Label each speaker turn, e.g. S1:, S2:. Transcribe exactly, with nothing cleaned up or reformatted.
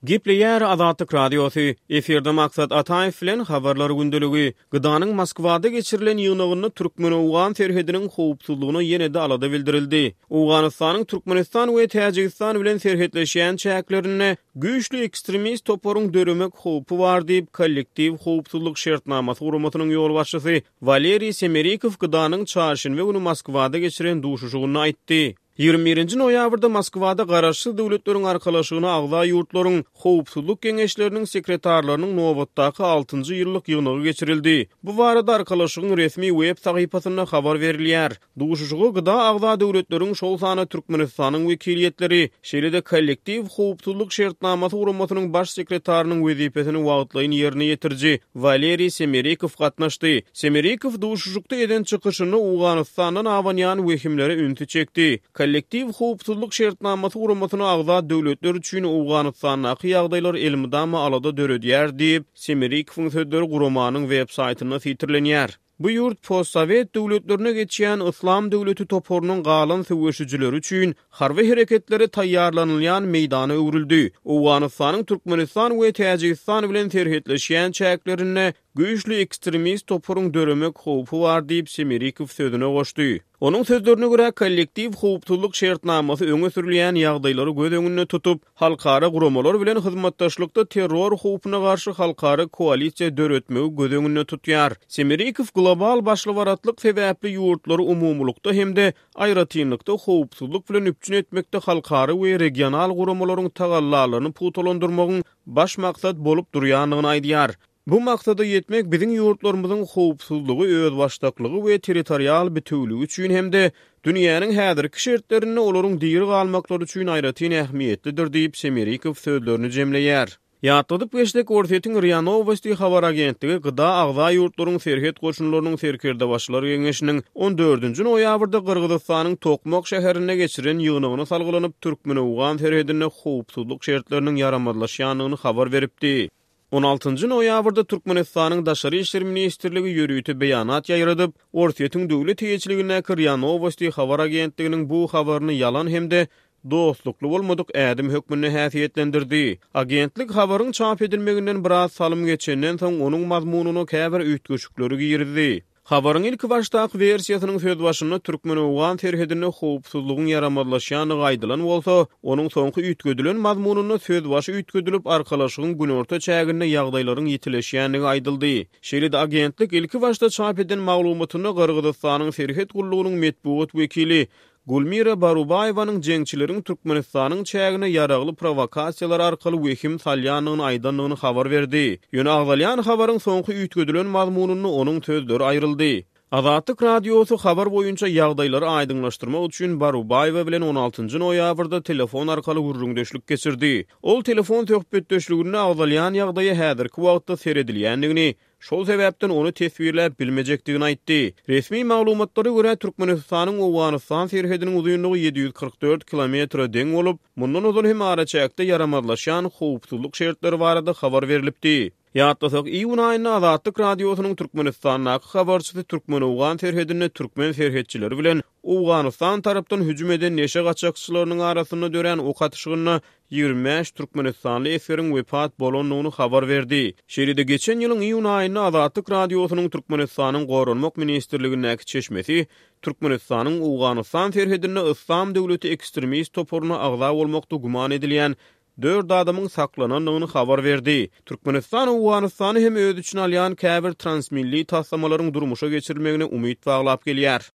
S1: Gepleýär Azatlyk Radiosy, efirde Maksat Ataýew bilen Habarlar gündeligi. GDA-nyň Moskwada geçirilen ýygnagynda türkmen-owgan serhediniň howpsuzlygyna ýene-de alada bildirildi. Owganystanyň Türkmenistan we Täjigistan bilen serhetleşýän çäklerinde güýçli ekstremist toparyň döremek howpy bar diýip, Kollektiw howpsuzlyk şertnamasy guramasynyň ýolbaşçysy Waleriý Semerikow GDA-nyň çarşenbe güni Moskwada geçiren duşuşygynda aýtdy. Ýigrimi birinji noýabrda Moskwada Garaşsyz Döwletleriň Arkalaşygyna agza ýurtlaryň Howpsuzlyk geňeşleriniň sekretarlarynyň nobatdaky altynjy ýyllyk ýygnagy geçirildi. Bu barada Arkalaşygyň resmi web sahypasynda habar berilýär. Duşuşyga GDA agza döwletleriň, şol sanda Türkmenistanyň wekiliýetleri, şeýle-de Kollektiw howpsuzlyk şertnamasy guramasynyň baş sekretarynyň wezipesini wagtlaýyn ýerine ýetiriji Waleriý Semerikow gatnaşdy. Semerikow duşuşykda eden çykyşynda Owganystandan abanýan wehimlere ünsi çekdi. Kollektiw howpsuzlyk şertnamasy guramasyna agza döwletler üçin Owganystandaky ýagdaýlar elmydama alada döredýär diýip, Semerikowyň sözleri guramanyň web saýtynda sitirlenýär. Bu ýurt postsowet döwletlerine geçýän Yslam döwleti toparynyň galan söweşijileri üçin harby hereketlere taýýarlanylýan meýdana öwrüldi. Owganystanyň Türkmenistan we Täjigistan bilen serhetleşýän çäklerinde güýçli ekstremist toparyň döremek howpy bar diýip, Semerikow sözüne goşdy. Onuň sözlerine görä, Kollektiw howpsuzlyk şertnamasy öňe sürülýän ýagdaýlary göz öňünde tutup, halkara guramalar bilen hyzmatdaşlykda terror howpuna garşy halkara koalisiýa döretmegi göz öňünde tutýar. Semerikow global başlybaratlyk sebäpli ýurtlary umumylykda hem-de aýratynlykda howpsuzlyk bilen üpjün etmekde halkara we regional guramalaryň tagallalaryny pugtalandyrmagyň baş maksat bolup durýandygyny aýdýar. Bu maksada ýetmek biziň ýurtlarymyzyň howpsuzlygy, özbaşdaklygy we territorial bitewüligi üçin hem-de dünýäniň häzirki şertlerinde olaryň diri galmaklary üçin aýratyn ähmiýetlidir diýip, Semerikow sözlerini jemleýär. Ýatladyp geçsek, Orsýetiň RIA Nowosti habar agentligi GDA agza ýurtlaryň serhet goşunlarynyň serkerdebaşylar geňeşiniň on dördünji noýabrda Gyrgyzystanyň Tokmak şäherinde geçiren ýygnagyna salgylanyp, türkmen-owgan serhedinde howpsuzlyk şertleriniň ýaramazlaşýandygyny habar beripdi. On altynjy noýabrda Türkmenistanyň Daşary işler ministrligi ýörite beýanat ýaýradyp, Orsýetiň döwlet eýeçiligindäki RIA Nowosti habar agentliginiň bu habaryny ýalan hem-de dostlukly bolmadyk ädim hökmünde häsiýetlendirdi. Agentlik habaryň çap edilmeginden biraz salym geçenden soň onuň mazmunyna käbir üýtgeşikleri girizdi. Habaryň ilkibaşdaky wersiýasynyň sözbaşynda türkmen-owgan serhedinde howpsuzlygyň ýaramazlaşýandygy aýdylan bolsa, onuň soňky üýtgedilen mazmunynda sözbaşy üýtgedilip, Arkalaşygyň günorta çäginde ýagdaýlaryň ýitileşýändigi aýdyldy. Şeýle-de agentlik ilkibaşda çap eden maglumatynda Gyrgyzystanyň serhet gullugynyň metbugat wekili Gulmira Barubaýewanyň jeňçileriň Türkmenistanyň çägine ýaragly prowokasiýalar arkaly wehim salýandygyny aýdandygyny habar berdi. Ýöne agzalýan habaryň soňky üýtgedilen mazmunynda onuň sözleri aýryldy. Azatlyk Radiosy habar boýunça ýagdaýlary aýdyňlaşdyrmak üçin Barubaýewa bilen on altynjy noýabrda telefon arkaly gürrüňdeşlik geçirdi. Ol telefon söhbetdeşliginde agzalýan ýagdaýa häzirki wagtda seredilýändigini, Şol sebäpden ony teswirläp bilmejekdigini aýtdy. Resmi maglumatlara görä, Türkmenistanyň Owganystan serhediniň uzynlygy ýedi ýüz kyrk dört kilometre deň bolup, mundan ozal hem araçäkde ýaramazlaşýan howpsuzlyk şertleri barada habar berlipdi. Ýatlasak, iýun aýynda Azatlyk Radiosynyň Türkmenistandaky habarçysy türkmen-owgan serhedinde türkmen serhetçileri bilen Owganystan tarapdan hüjüm eden neşe gaçakçylarynyň arasynda dörän ok atyşygynda ýigrimi bäş türkmenistanly esgeriň wepat bolandygyny habar berdi. Şeýle-de geçen ýylyň iýun aýynda Azatlyk Radiosynyň Türkmenistanyň Goranmak ministrligindäki çeşmesi Türkmenistanyň Owganystan serhedinde Yslam döwleti ekstremist toparyna agza bolmakda güman edilýän dört adamyň saklanandygyny habar berdi. Türkmenistan Owganystany hem öz içine alýan käbir transmilli taslamalaryň durmuşa geçirilmegine umyt baglap gelýär.